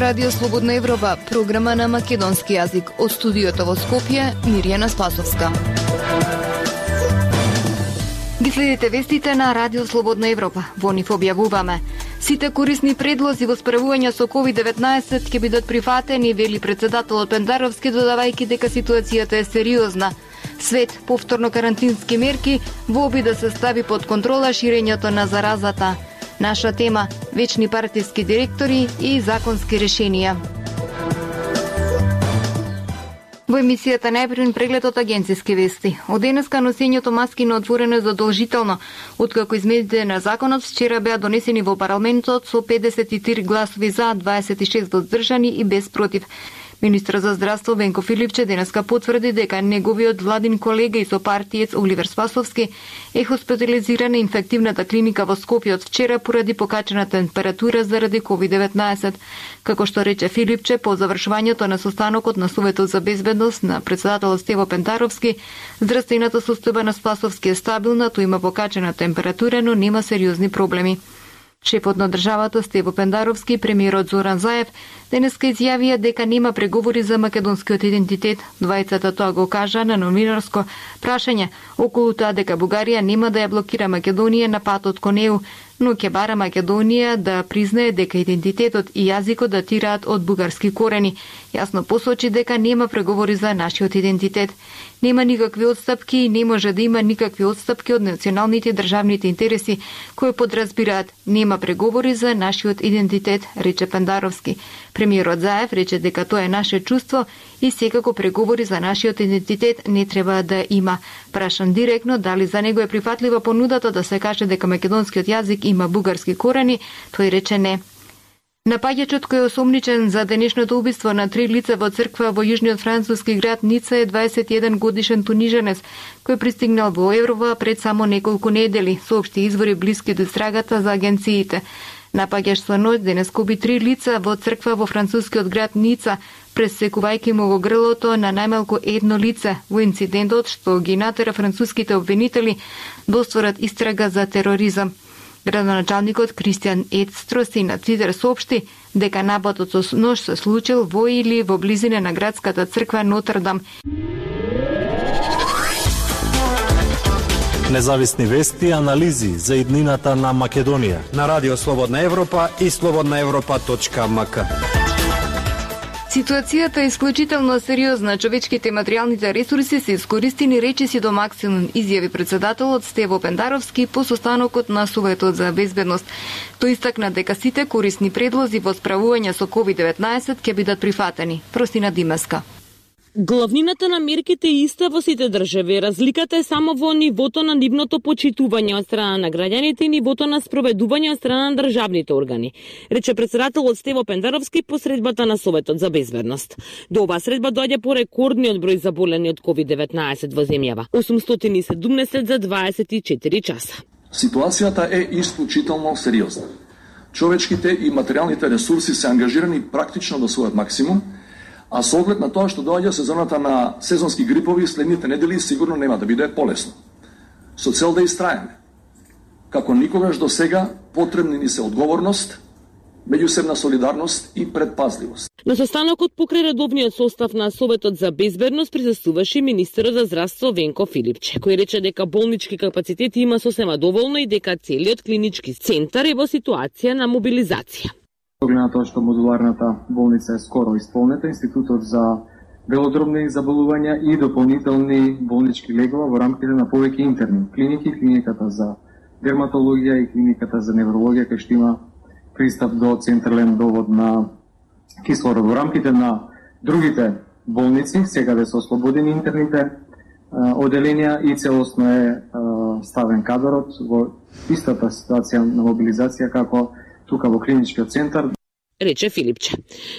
Радио Слободна Европа, програма на македонски јазик. Од студиото во Скопје, Мирјана Спасовска. Ги следите вестите на Радио Слободна Европа. Во нив објавуваме: сите корисни предлози во справување со COVID-19 ќе бидат прифатени, вели председателот Пендаровски, додавајќи дека ситуацијата е сериозна. Свет повторно карантински мерки во обид да се стави под контрола ширењето на заразата. Наша тема – вечни партиски директори и законски решенија. Во емисијата најпрвен преглед од агенциски вести. Од денеска носењето маски на отворено е задолжително, откако измените на законот вчера беа донесени во парламентот со 53 гласови за, 26 воздржани и без против. Министрот за здравство Венко Филипче денеска потврди дека неговиот владин колега и сопартиец Оливер Спасовски е хоспитализиран на инфективната клиника во Скопје од вчера поради покачена температура заради COVID-19. Како што рече Филипче, по завршувањето на состанокот на Советот за безбедност на председателот Стево Пендаровски, здравствената состојба на Спасовски е стабилна, тој има покачена температура, но нема сериозни проблеми. Шефот на државата Стево Пендаровски и премиерот Зоран Заев денеска изјавија дека нема преговори за македонскиот идентитет. Двајцата тоа го кажа на новинарско прашање околу тоа дека Бугарија нема да ја блокира Македонија на патот кон ЕУ, но ќе бара Македонија да признае дека идентитетот и јазикот датираат од бугарски корени. Јасно посочи дека нема преговори за нашиот идентитет. Нема никакви отстапки и не може да има никакви отстапки од националните државните интереси, кои подразбираат нема преговори за нашиот идентитет, рече Пендаровски. Премиерот Заев рече дека тоа е наше чувство и секако преговори за нашиот идентитет не треба да има. Прашан директно дали за него е прифатлива понудата да се каже дека македонскиот јазик има бугарски корени, тој рече не. Напаѓачот кој е осомничен за денешното убиство на 3 лица во црква во јужниот француски град Ница е 21 годишен туниженец, кој пристигнал во Еврова пред само неколку недели, соопшти извори блиски до истрагата за агенциите. Напаѓач со ноќ денеска уби 3 лица во црква во францускиот град Ница, пресекувајќи му го грлото на најмалку едно лице во инцидентот што ги натера француските обвинители да отворат истрага за тероризам. Градоначалникот Кристијан Едстроси на Твитер соопшти дека нападот со нож се случил во или во близина на градската црква Нотр-Дам. Независни вести и анализи за иднината на Македонија на Радио Слободна Европа и slobodnaevropa.mk. Ситуацијата е исклучително сериозна. Човечките и материјалните ресурси се искористени речиси до максимум, изјави председателот Стево Пендаровски по состанокот на Советот за безбедност. Тој истакна дека сите корисни предлози во справување со COVID-19 ќе бидат прифатени. Простина Димеска. Главнината на мерките е иста во сите држави. Разликата е само во нивото на нивното почитување од страна на граѓаните и нивото на спроведување од страна на државните органи, рече председателот Стево Пендаровски по средбата на Советот за безбедност. До оваа средба доаѓа по рекордниот број заболени од COVID-19 во земјава. 817 за 24 часа. Ситуацијата е исклучително сериозна. Човечките и материјалните ресурси се ангажирани практично до својот максимум, а со оглед на тоа што доаѓа сезоната на сезонски грипови, следните недели сигурно нема да биде полесно. Со цел да истраеме, како никогаш до сега, потребни ни се одговорност, меѓусебна солидарност и предпазливост. На состанокот покрај редовниот состав на Советот за безбедност присуствуваше министерот за здравство Венко Филипче, кој рече дека болнички капацитети има сосема доволно и дека целиот клинички центар е во ситуација на мобилизација. Оглед на тоа што модуларната болница е скоро исполнета, Институтот за белодробни заболувања и дополнителни болнички легова во рамките на повеќе интерни клиники, клиниката за дерматологија и клиниката за неврологија, кај што има пристап до централен довод на кислород. Во рамките на другите болници, секаде се ослободени интерните оделенија и целосно е ставен кадрот во истата ситуација на мобилизација како тука во клиничкиот центар. Рече Филипче.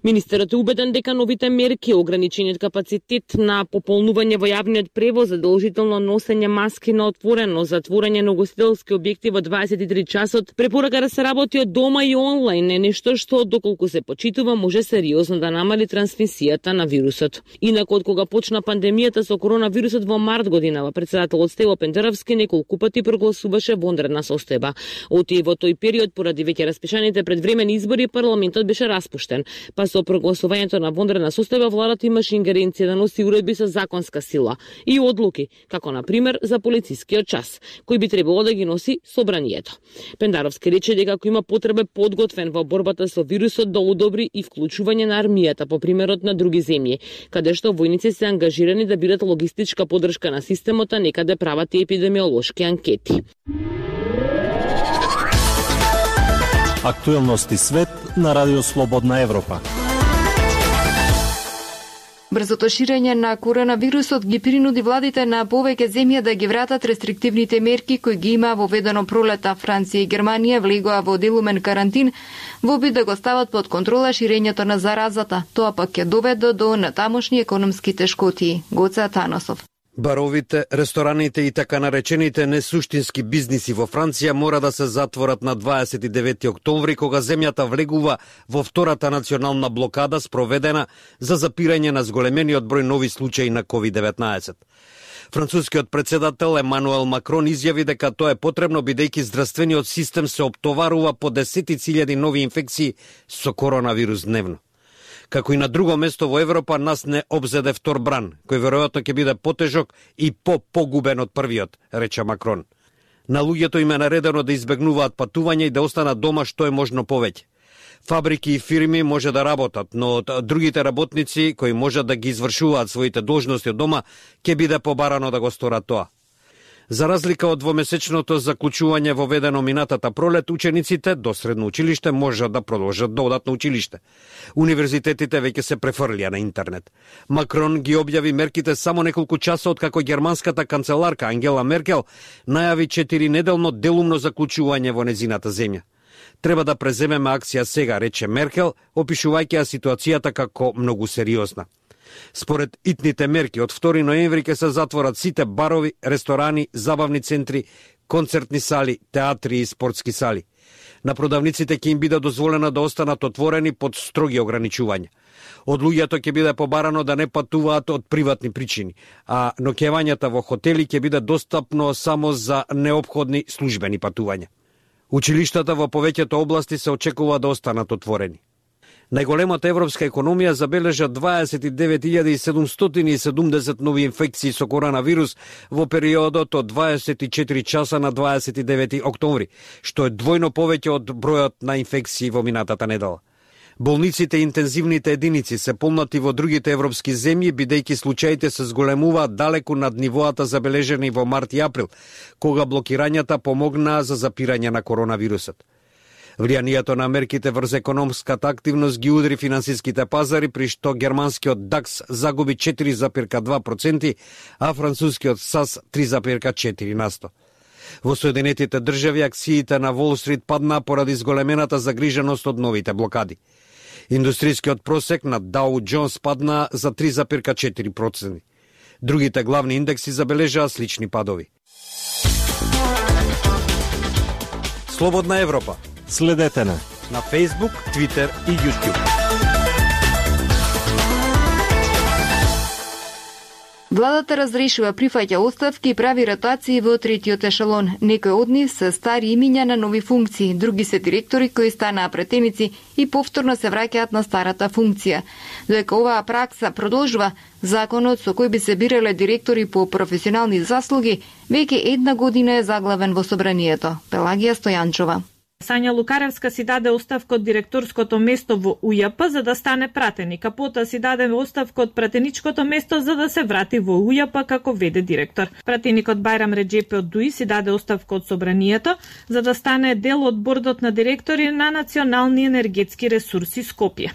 Министерот е убеден дека новите мерки, ограничениот капацитет на пополнување во јавниот превоз, задолжително носење маски на отворено, затворање на угостителски објекти во 23 часот, препорака да се работи од дома и онлайн е нешто што, доколку се почитува, може сериозно да намали трансмисијата на вирусот. Инаку, од кога почна пандемијата со коронавирусот во март годинава, председателот Стево Пендаровски неколку пати прогласуваше вонредна состојба. Во тој период, поради веќе распишаните предвремени избори, парламентот Кабинетот беше распуштен, па со прогласувањето на вонредна состојба владата имаше ингеренција да носи уредби со законска сила и одлуки, како на пример за полицискиот час, кој би требало да ги носи собранието. Пендаровски рече дека ако има потреба подготвен во борбата со вирусот да одобри и вклучување на армијата по примерот на други земји, каде што војници се ангажирани да бидат логистичка поддршка на системот, а некаде прават и епидемиолошки анкети. Актуелности свет на Радио Слободна Европа. Брзото ширење на коронавирусот ги принуди владите на повеќе земји да ги вратат рестриктивните мерки кои ги има воведено пролета. Франција и Германија влегоа во делумен карантин во обид да го стават под контрола ширењето на заразата. Тоа пак ќе доведе до натамошни економски тешкотии. Гоце Атанасов. Баровите, рестораните и така наречените несуштински бизниси во Франција мора да се затворат на 29 октомври, кога земјата влегува во втората национална блокада спроведена за запирање на зголемениот број нови случаи на COVID-19. Францускиот председател Емануел Макрон изјави дека тоа е потребно бидејќи здравствениот систем се оптоварува по десетици илјади нови инфекции со коронавирус дневно. Како и на друго место во Европа, нас не обзеде втор бран, кој веројатно ќе биде потежок и погубен од првиот, рече Макрон. На луѓето им е наредено да избегнуваат патување и да останат дома што е можно повеќе. Фабрики и фирми може да работат, но од другите работници кои можат да ги извршуваат своите должности од дома, ќе биде побарано да го сторат тоа. За разлика од двомесечното заклучување воведено минатата пролет, учениците до средно училиште можат да продолжат да одат на училиште. Универзитетите веќе се префрлија на интернет. Макрон ги објави мерките само неколку часа од како германската канцеларка Ангела Меркел најави 4-неделно делумно заклучување во незината земја. Треба да преземеме акција сега, рече Меркел, опишувајќи ја ситуацијата како многу сериозна. Според итните мерки, од 2 ноември ќе се затворат сите барови, ресторани, забавни центри, концертни сали, театри и спортски сали. На продавниците ќе им биде дозволено да останат отворени под строги ограничувања. Од луѓето ќе биде побарано да не патуваат од приватни причини, а ноќевањата во хотели ќе биде достапно само за неопходни службени патувања. Училиштата во повеќето области се очекува да останат отворени. Најголемата европска економија забележа 29.770 нови инфекции со коронавирус во периодот од 24 часа на 29 октомври, што е двојно повеќе од бројот на инфекции во минатата недела. Болниците и интензивните единици се полнати во другите европски земји, бидејќи случаите се зголемуваат далеку над нивоата забележени во март и април, кога блокирањата помогнаа за запирање на коронавирусот. Влијанието на мерките врз економската активност ги удри финансиските пазари, при што германскиот DAX загуби 4,2%, а францускиот САС 3,4%. Во Соединетите држави акциите на Wall Street паднаа поради зголемената загриженост од новите блокади. Индустрискиот просек на Dow Jones падна за 3,4%. Другите главни индекси забележаа слични падови. Слободна Европа. Следете на Facebook, Twitter и YouTube. Владата разрешува, прифаќа оставки и прави ротации во третиот ешелон. Некои од нив се стари имиња на нови функции, други се директори кои станаа претеници и повторно се враќаат на старата функција. Додека оваа пракса продолжува, законот со кој би се бирале директори по професионални заслуги веќе 1 година е заглавен во собранието. Пелагија Стојанчова. Сања Лукаревска си даде оставка од директорското место во УЈП за да стане пратеник, а потоа си даде оставка од пратеничкото место за да се врати во УЈП како веде директор. Пратеникот Бајрам Реджепи од ДУИ си даде оставка од собранието за да стане дел од бордот на директори на Национални енергетски ресурси Скопје.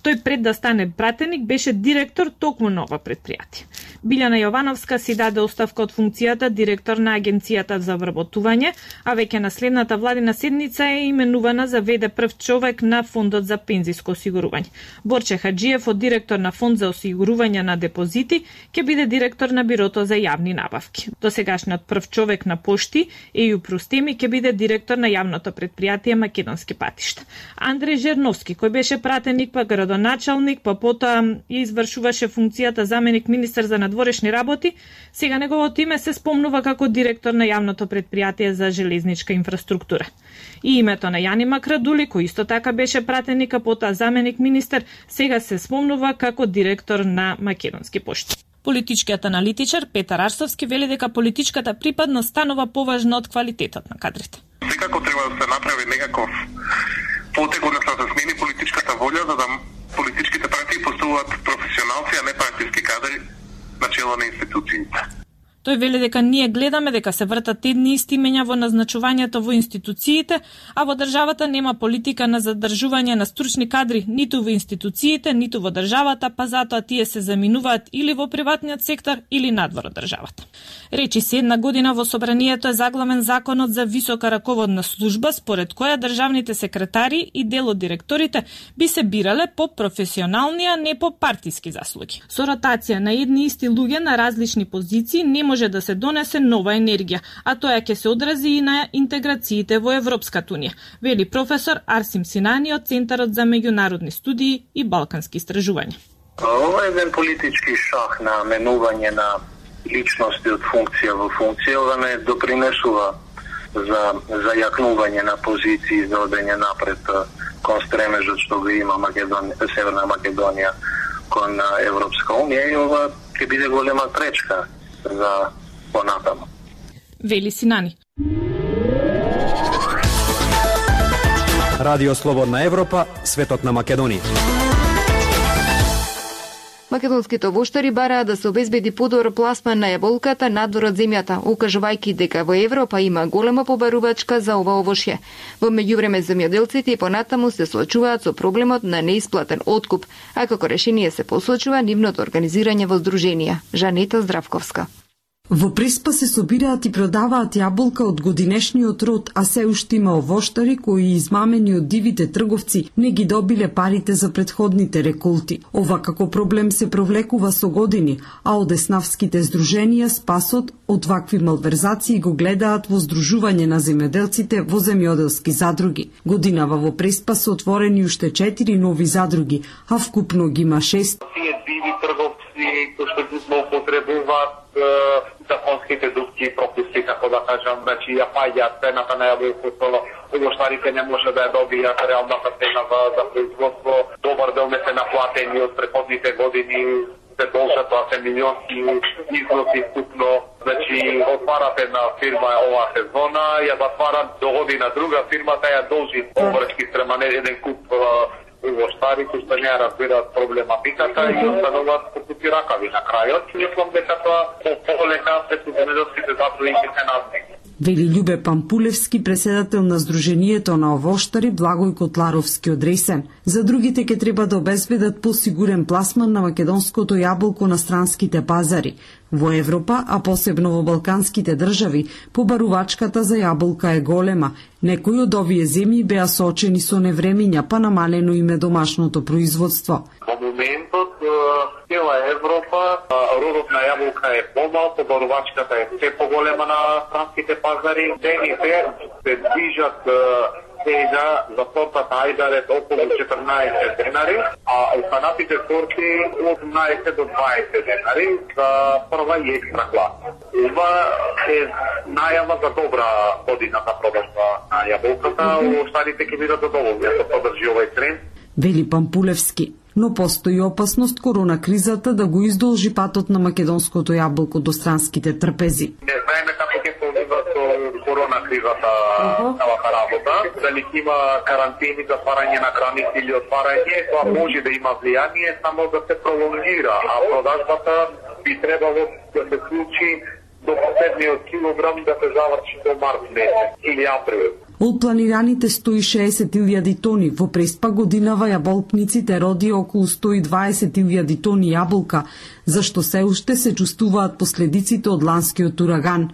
Тој пред да стане пратеник беше директор токму на ова претпријатие. Билјана Јовановска си даде оставка од функцијата директор на Агенцијата за вработување, а веќе на следната владина седница е именувана за веде прв човек на Фондот за пензиско осигурување. Борче Хаджиев од директор на Фонд за осигурување на депозити ќе биде директор на Бирото за јавни набавки. Досегашниот прв човек на Пошти, Еју Простеми, ќе биде директор на јавното претпријатие Македонски патишта. Андреј Жерновски, кој беше пратеник па градоначалник, па потоа извршуваше функцијата заменик министер за надворешни работи, сега неговото име се спомнува како директор на јавното претпријатие за железничка инфраструктура. И Името на Јани Макрадули, кој исто така беше пратеник, а потоа заменик министер, сега се спомнува како директор на Македонски пошти. Политичкиот аналитичар Петар Арсовски вели дека политичката припадност станува поважна од квалитетот на кадрите. Секако треба да се направи некаков потег, односно да се смени политичката волја, за да политичките партии постуваат професионалци, а не партиски кадри на чело на институциите. Тој вели дека ние гледаме дека се вртат едни исти имења во назначувањето во институциите, а во државата нема политика на задржување на стручни кадри ниту во институциите, ниту во државата, па затоа тие се заминуваат или во приватниот сектор или надвор од државата. Речи се една година во собранието е заглавен законот за висока раководна служба, според која државните секретари и дел од директорите би се бирале по професионални, а не по партиски заслуги. Со ротација на едни исти луѓе на различни позиции не може да се донесе нова енергија, а тоа ќе се одрази и на интеграциите во Европската унија, вели професор Арсим Синани од Центарот за меѓународни студии и балкански истражувања. Ова е еден политички шах на менување на личности од функција во функција, ова не допринесува за јакнување на позиции за одење напред кон стремежот што го има Северна Македонија кон Европска унија, и ова ќе биде голема пречка за понатаму. Вели Синани. Радио Слободна Европа, светот на Македонија. Македонските овоштари бараат да се обезбеди подобар пласман на јаболката надвор од земјата, укажувајќи дека во Европа има голема побарувачка за ова овошје. Во меѓувреме земјоделците и понатаму се соочуваат со проблемот на неисплатен откуп, а како решение се посочува нивното организирање во здруженија. Жанета Здравковска. Во Преспа се собираат и продаваат јаболка од годинешниот род, а се уште има овоштари кои измамени од дивите трговци не ги добиле парите за претходните реколти. Ова како проблем се провлекува со години, а од еснавските здруженија спасот од вакви малверзации го гледаат во здружување на земјоделците во земјоделски задруги. Годинава во Преспа се отворени уште 4 нови задруги, а вкупно ги има 6. Тие диви трговци кои што ги злоупотребуваат законските дупки и пропуски, како да кажам, значи ја паѓаат цената на јаболкото, овоштарите не може да ја добијат реалната цена за производство, добар дел не се наплатени од претходните години, се должат, тоа се милионски износи вкупно, значи отварат една фирма оваа сезона, ја затварат до година друга фирмата, ја должи обврски спрема еден куп овоштари кои што не разбираат проблематиката и остануваат покупи ракави на крајот. Мислам дека тоа полека се земјоделските задруги се назнеги. Вели Љубе Пампулевски, преседател на Сдруженијето на овоштари Благој Котларовски од Ресен. За другите ќе треба да обезбедат посигурен пласман на македонското јаболко на странските пазари. Во Европа, а посебно во балканските држави, побарувачката за јаболка е голема. Некои од овие земји беа соочени со невремиња, па намалено им е домашното производство. Во моментот, цела Европа, родот на јаболка е помал, побарувачката е се поголема на странските пазари. Цените се движат сега за сортата ајдарет околу 14 денари, а останатите сорти од 18 до 20 денари за прва и екстра класа. Ова е најава за добра година за продажба на јаболката, останите ќе бидат задоволни ако подржи овој тренд. Вели Пампулевски. Но постои опасност корона кризата да го издолжи патот на македонското јаболко до странските трпези. Не знаеме како ќе се одвива со корона кризата целата работа, дали ќе има карантини, затварање на граници или отварање, тоа може да има влијание само да се пролонгира, а продажбата би требало да се случи до последниот килограм да се заврши до март месец или април. Од планираните 160.000 тони, во Преспа годинава јаболкниците роди околу 120.000 тони јаболка, зашто се уште се чувствуваат последиците од ланскиот ураган.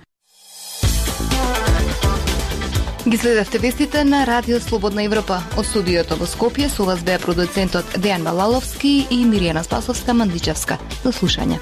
Ги следевте вестите на Радио Слободна Европа. Од студиото во Скопје со вас беа продуцентот Дејан Балаловски и Миријана Спасовска-Мандичевска. До слушање.